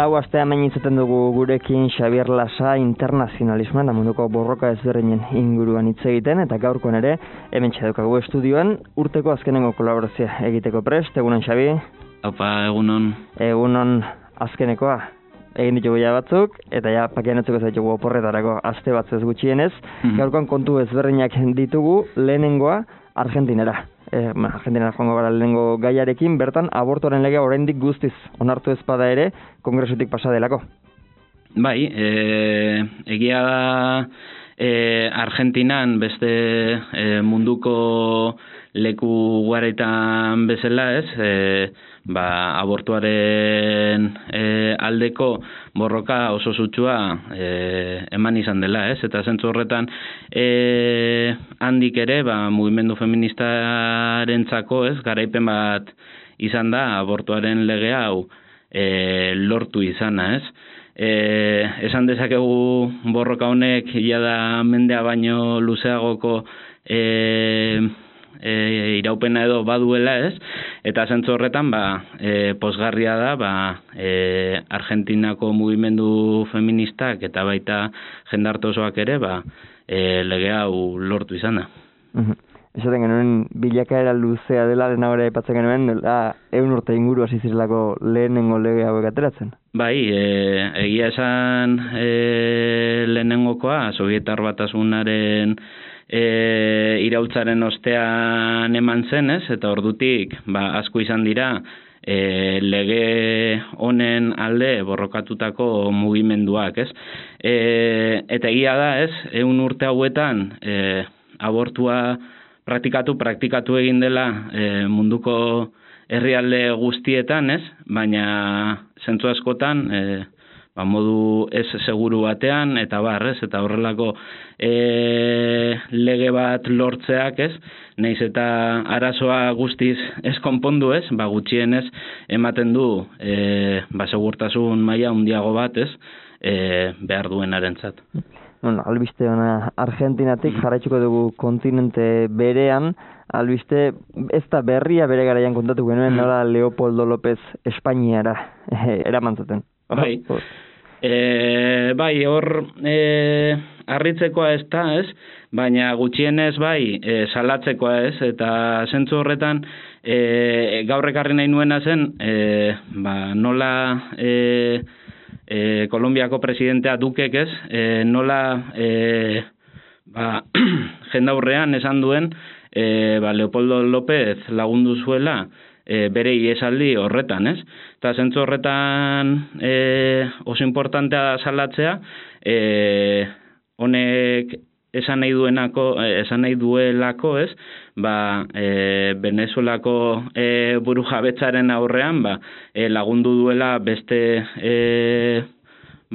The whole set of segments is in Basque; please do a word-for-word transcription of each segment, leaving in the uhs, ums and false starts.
Lau aste hemen izaten dugu gurekin Xabier Lasa internazionalismoan da munduko borroka ezberdinen inguruan hitz egiten, eta gaurkoan ere hemen txadukagu estudioan urteko azkenengo kolaborazioa egiteko prest. Egunon, Xabi? Opa, egunon. Egunon azkenekoa. Egin ditugu ja batzuk, eta ja pakianetzeko zaitugu oporretarako aste batzuz gutxienez. Mm-hmm. Gaurkoan kontu ezberdinak ditugu, lehenengoa Argentinera. Eh, Argentinara joango gara lehenengo gaiarekin, bertan abortuaren legea oraindik guztiz onartu ezpada ere kongresutik pasa delako. Bai, e, egia da e, Argentinan beste e, munduko leku guaretan bezala, ez? E, ba, abortuaren e, aldeko borroka oso sutsua e, eman izan dela, ez? Eta zentzu horretan e, handik ere, ba, mugimendu feministarentzako, ez? Garaipen bat izan da abortuaren lege hau e, lortu izana, ez? E, esan dezakegu borroka honek ia da mendea baino luzeagoko e, E, iraupena edo baduela, ez? Eta zentzu horretan, ba, e, pozgarria da, ba, e, Argentinako mugimendu feministak eta baita jendarte osoak ere, ba, e, lege hau lortu izana. Uh-huh. Esaten genuen bilakaera luzea dela, lehenagora aipatzen genuen, ehun urte inguru hasi zirelako lehenengo lege hauek ateratzen. Bai, e, egia esan e, lehenengokoa, Sovietar Batasunaren E, iraultzaren ostean eman zenez, eta ordutik ba, asko izan dira e, lege honen alde borrokatutako mugimenduak, ez? E, eta egia da, ez? Ehun urte hauetan e, abortua praktikatu, praktikatu egin dela e, munduko herrialde guztietan, ez? Baina zentzu askotan e, ba, modu ez seguru batean, eta barrez, eta horrelako e, lege bat lortzeak, ez, nahiz eta arazoa guztiz ez konpondu, ez, ba, gutxienez ematen du e, ba, segurtasun maila handiago bat, ez, e, behar duenarentzat. Bueno, albiste ona Argentinatik jarraituko dugu kontinente berean, albiste ez da berria bere garaian kontatu genuen, nola Leopoldo López Espainiara eraman zuten. Bai, e, bai, hor e, harritzekoa ez da, ez? Baina gutxienez bai, e, salatzekoa ez, eta zentzu horretan e, gaur ekarri nahi nuena zen, e, ba, nola e, e, Kolombiako presidentea Dukek, ez? E, nola e, ba, jendaurrean esan duen e, ba, Leopoldo López lagundu zuela E, bere iesaldi horretan, ez? Eta zentzu horretan e, oso importantea da salatzea, e, honek esan nahi duenako, esan nahi duelako, ez? Ba, e, Venezuelako e, burujabetzaren aurrean, ba, e, lagundu duela beste e,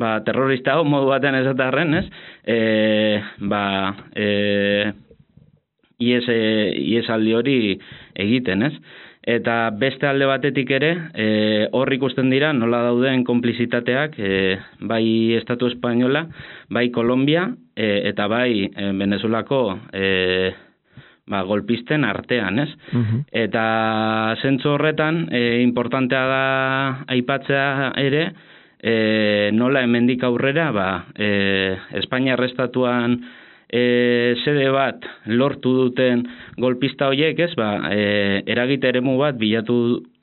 ba, terrorista hau modu batean esatarren, ez? E, ba, e, ies, e, iesaldi hori egiten, ez? Eta beste alde batetik ere, e, hor ikusten dira nola dauden konplizitateak, e, bai Estatu Espainola, bai Kolombia, e, eta bai e, Venezuelako e, ba, golpisten artean, ez? Uh-huh. Eta zentzu horretan, e, importantea da aipatzea ere, e, nola hemendik aurrera, ba, e, Espainia Estatuan E, sede bat lortu duten golpista horiek, ez, ba, e, eragite eremu bat bilatu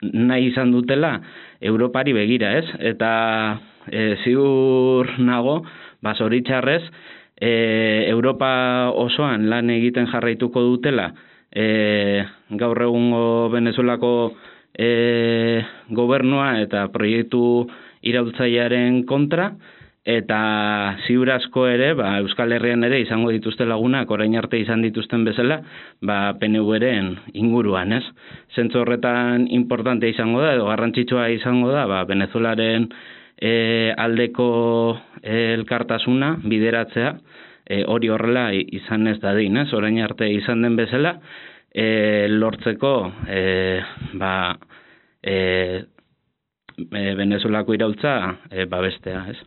nahi izan dutela Europari begira, ez, eta e, ziur nago, ba, zoritxarrez, e, Europa osoan lan egiten jarraituko dutela e, gaur egungo Venezuelako e, gobernua eta proiektu iraultzailearen kontra, eta ziur asko ere, ba, Euskal Herrian ere izango dituzte lagunak, orain arte izan dituzten bezala, ba, P N V-ren inguruan, ez? Zentzu horretan importante izango da, edo garrantzitsua izango da, ba, Venezuelaren e, aldeko e, elkartasuna bideratzea, e, hori horrela izan ez dadin, ez? Orain arte izan den bezala, e, lortzeko, e, ba, e, Venezuelako iraultza e, babestea, ez?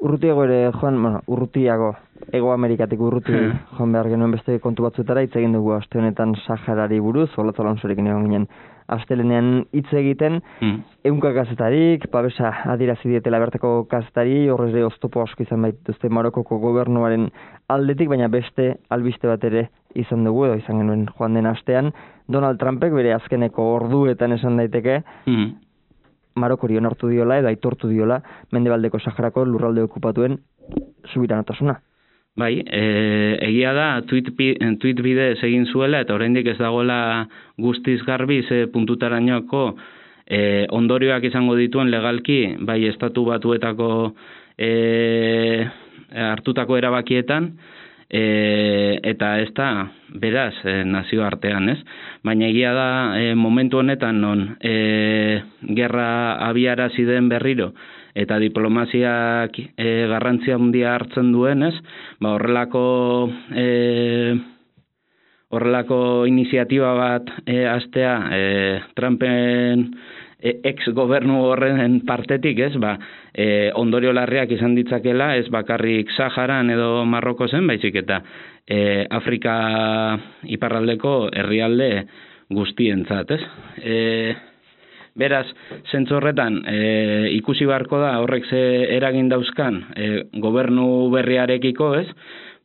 urrutiago ere joan, bueno, urrutiago, Ego Amerikatik urruti joan behar genuen beste kontu batzutara, hitz egin dugu aste honetan Saharari buruz, Olatz Alonsorekin egon ginen astelenean hitz egiten, mm. ehunka kazetarik, babesa adierazi dietela bertako kazetari, horrez ere oztopo asko izan baituzte Marokoko gobernuaren aldetik, baina beste albiste bat ere izan dugu, edo izan genuen joan den astean, Donald Trumpek bere azkeneko orduetan esan daiteke, mm. Marokori onartu diola edo aitortu diola Mendebaldeko Saharako lurralde okupatuen subiranotasuna. Bai, e, egia da, tweet, tweet bidez egin zuela, eta oraindik ez dagoela guztiz garbi ze puntutarainoko e, ondorioak izango dituen legalki, bai estatu batuetako e, hartutako erabakietan, e, eta ez da, beraz, e, nazio artean, ez? Baina egia da, e, momentu honetan non e, gerra abiarazi den berriro, eta diplomaziak e, garrantzia handia hartzen duenez, ba horrelako e, horrelako iniziatiba bat e, astea e, Trumpen e, ex-gobernu horren partetik, ez, ba, e, ondorio larriak izan ditzakela, ez bakarrik Saharan edo Marrokozen, baizik eta e, Afrika iparraldeko herrialde guztientzat, ez? E, Beraz, zentzu horretan, e, ikusi beharko da horrek ze eragin dauzkan e, gobernu berriarekiko, ez?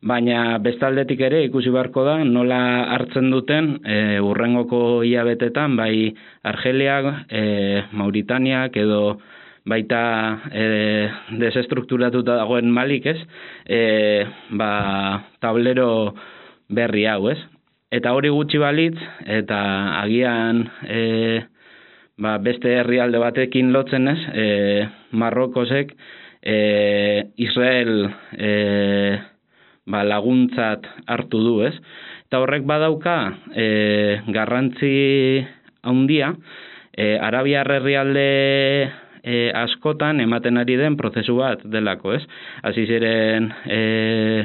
Baina bestaldetik ere ikusi beharko da nola hartzen duten e, urrengoko hilabetetan, bai Argeliak, e, Mauritaniak edo baita e, desestrukturatuta dagoen Malik, ez? E, ba, tablero berri hau, ez? Eta hori gutxi balitz, eta agian E, Ba, beste herrialde batekin lotzen ez, e, Marrokosek e, Israel e, ba, laguntzat hartu du ez. Eta horrek badauka e, garrantzi handia, e, Arabiar herrialde e, askotan ematen ari den prozesu bat delako ez. Hasi ziren e,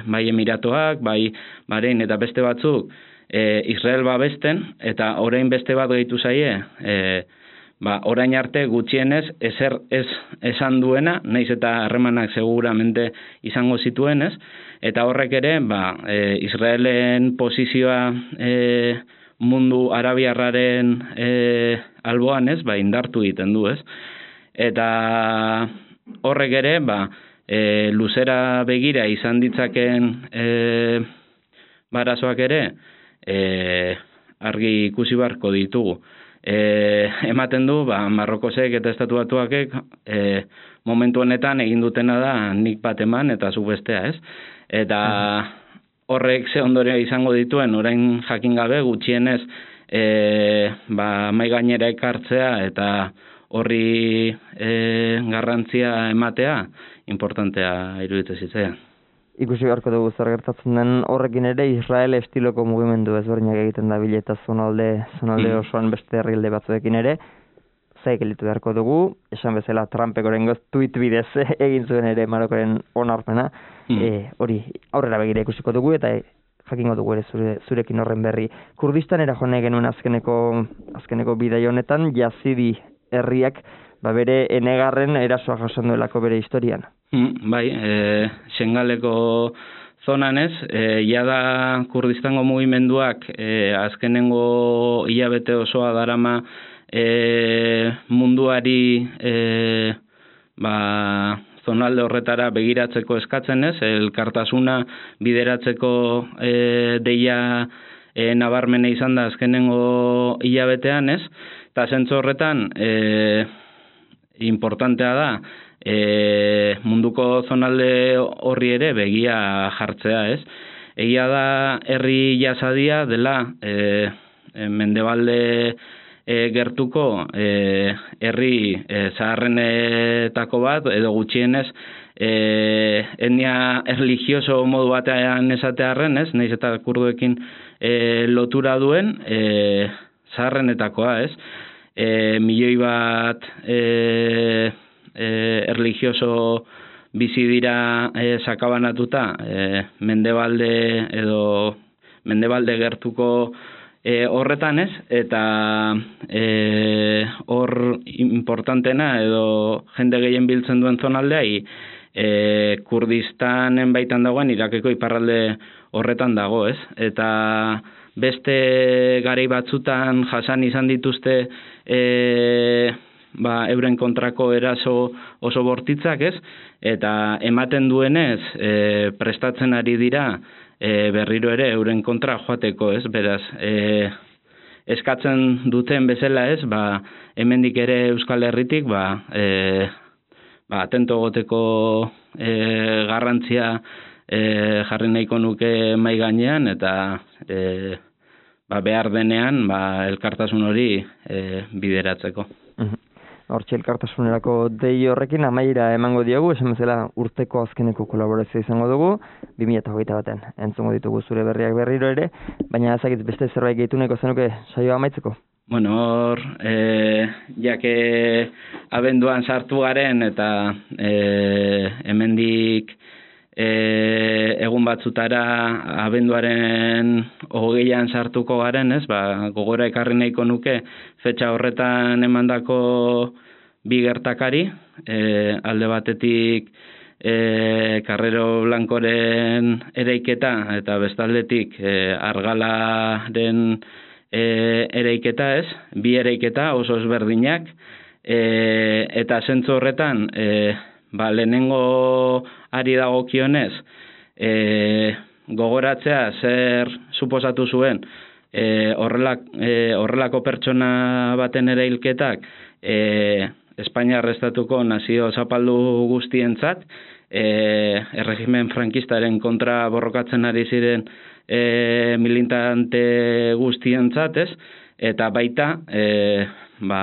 bai Emiratoak, bai Bahrein eta beste batzuk e, Israel babesten, eta orain beste bat gehitu zaie, e, Ba, orain arte gutxienez ezer ez esan duena, naiz eta harremanak seguramente izango zituenez, eta horrek ere, ba, e, Israelen posizioa e, mundu arabiarraren e, alboan ez, ba, indartu egiten du ez. Eta horrek ere, ba, e, luzera begira izan ditzaken e, barazoak ere, e, argi ikusi beharko ditugu. E, ematen du, ba, Marrokosek eta Estatu Batuakek e, momentu honetan egin dutena da nik bat eman eta zu bestea, ez? Eta horrek ze ondorio izango dituen, orain jakin gabe gutxienez e, ba, mai gainera ekartzea eta horri e, garrantzia ematea importantea iruditzen zitzaidan. Ikusi beharko dugu zer gertatzen den horrekin ere Israel estiloko mugimendu ezberdinak egiten da bileta zonalde, zonalde mm. osoan beste herrialde batzuekin ere. Zaik elitu beharko dugu, esan bezala Trumpek orengoz tweet bidez egin zuen ere Marokoren onarpena. Mm. E, hori aurrera begira ikusiko dugu eta e, jakingo dugu ere zure, zurekin horren berri. Kurdistanera joan genuen azkeneko, azkeneko bidai honetan, Yazidi herriak ba bere enegarren erasoa jasan duelako bere historian. Mm, bai, e, Sengaleko zonan ez, e, jada Kurdistango mugimenduak e, azkenengo hilabete osoa darama e, munduari e, ba, zonalde horretara begiratzeko eskatzen ez, elkartasuna bideratzeko e, deia e, nabarmene izan da azkenengo hilabetean ez, eta zentzu horretan e, importantea da e, munduko zonalde horri ere begia jartzea, ez? Egia da herri Yazadia dela e, e, Mendebalde e, gertuko e, herri e, zaharrenetako bat edo gutxienez e, etnia erlijioso modu batean esatearren, ez? Naiz eta kurduekin e, lotura duen e, zaharrenetakoa, ez? E, milioi bat e, e, erlijioso bizi dira e, sakabanatuta e, Mendebalde edo Mendebalde gertuko e, horretan ez, eta e, hor importantena edo jende gehien biltzen duen zonaldea e, Kurdistanen baitan dagoen, Irakeko iparralde horretan dago, ez? Eta beste garai batzutan jasan izan dituzte e, ba, euren kontrako eraso oso bortitzak, ez? Eta ematen duenez, e, prestatzen ari dira e, berriro ere euren kontra joateko, ez? Beraz, e, eskatzen duten bezala, ez? Ba, hemendik ere Euskal Herritik, ba, e, ba atento goteko e, garrantzia e, jarri nahiko nuke mai gainean, eta e, ba, behar denean ba, elkartasun hori e, bideratzeko. Hortxe elkartasunerako dei horrekin amaiera emango diogu, esan bezala urteko azkeneko kolaborazioa izango dugu, bi mila hogeita batean entzungo ditugu zure berriak berriro ere, baina ezagitz beste zerbait gehituneko zenuke saioa amaitzeko? Bueno, hor, e, jake abenduan sartu garen eta e, hemendik e, egun batzutara abenduaren hogeian sartuko garen, ez? Ba, gogora ekarri nahiko nuke fetxa horretan emandako bi gertakari, e, alde batetik e, Carrero Blancoren ereiketa eta bestaldetik e, Argalaren e, ereiketa, ez? Bi ereiketa oso ezberdinak, e, eta zentzu horretan e, ba, lehenengo ari dagokionez e, gogoratzea zer suposatu zuen e, horrelak, e, horrelako pertsona baten ere hilketak e, Espainiar estatuko nazio zapaldu guztientzat, e, erregimen frankistaren kontra borrokatzen ari ziren e, militante guztientzat, ez? Eta baita e, ba,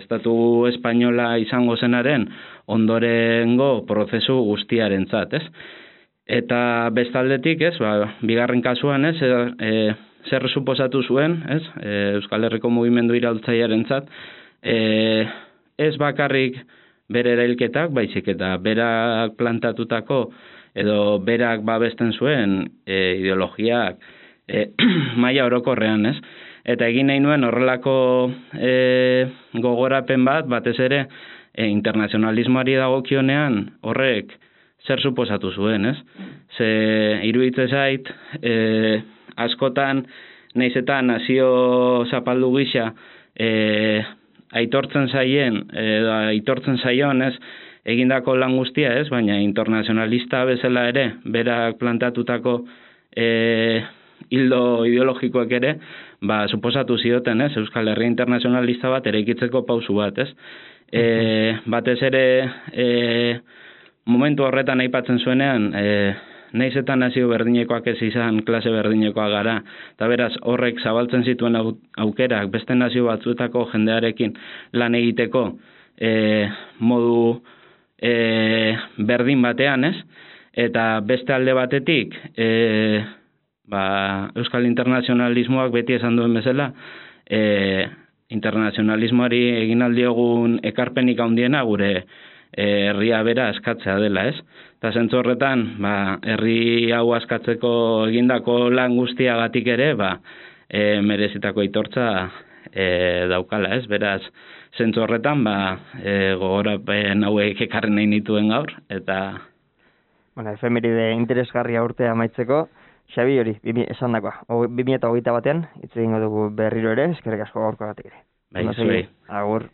estatu espainola izango zenaren ondorengo prozesu guztiarentzat, ez? Eta bestaldetik, ez, ba, bigarren kasuan, ez, e, zer suposatu zuen, ez, e, Euskal Herriko mugimendu iraultzailearentzat, e, ez bakarrik bere erailketak, baizik eta berak plantatutako edo berak babesten zuen e, ideologiak e, maila orokorrean, ez? Eta egin nahi nuen horrelako e, gogorapen bat, batez ere, e, internazionalismoari dagokionean horrek zer suposatu zuen, ez? Ze iruditzen zait, e, askotan, nahiz eta nazio zapaldu gisa, e, aitortzen zaien, edo aitortzen zaion, ez, egindako lan guztia, ez, baina internazionalista bezala ere, berak plantatutako e, hildo ideologikoak ere, ba, suposatu zioten, ez, Euskal Herria internazionalista bat eraikitzeko pausu bat, ez. E, batez ere, e, momentu horretan aipatzen zuenean, e, nahiz eta nazio berdinekoak ez izan klase berdinekoak gara, eta beraz horrek zabaltzen zituen aukerak beste nazio batzuetako jendearekin lan egiteko e, modu e, berdin batean, ez? Eta beste alde batetik e, ba, Euskal internazionalismoak beti esan duen bezala, e, internazionalismoari egin aldiogun ekarpenik handiena gure herria bera askatzea dela, ez? Eta zentzu horretan, ba, herri hau askatzeko egindako lan guztiagatik ere, ba, e, merezitako aitortza e, daukala, ez? Beraz, zentzu horretan, ba, e, gogorapen hauek ekarri nahi nituen gaur, eta... Bueno, efemeride interesgarria urtea amaitzeko, Xabi hori, esan dakoa, bi mila hogeita batean, hitz egingo dugu berriro ere, eskerrik asko gaurko batek ere. Bai, zuei. Agur.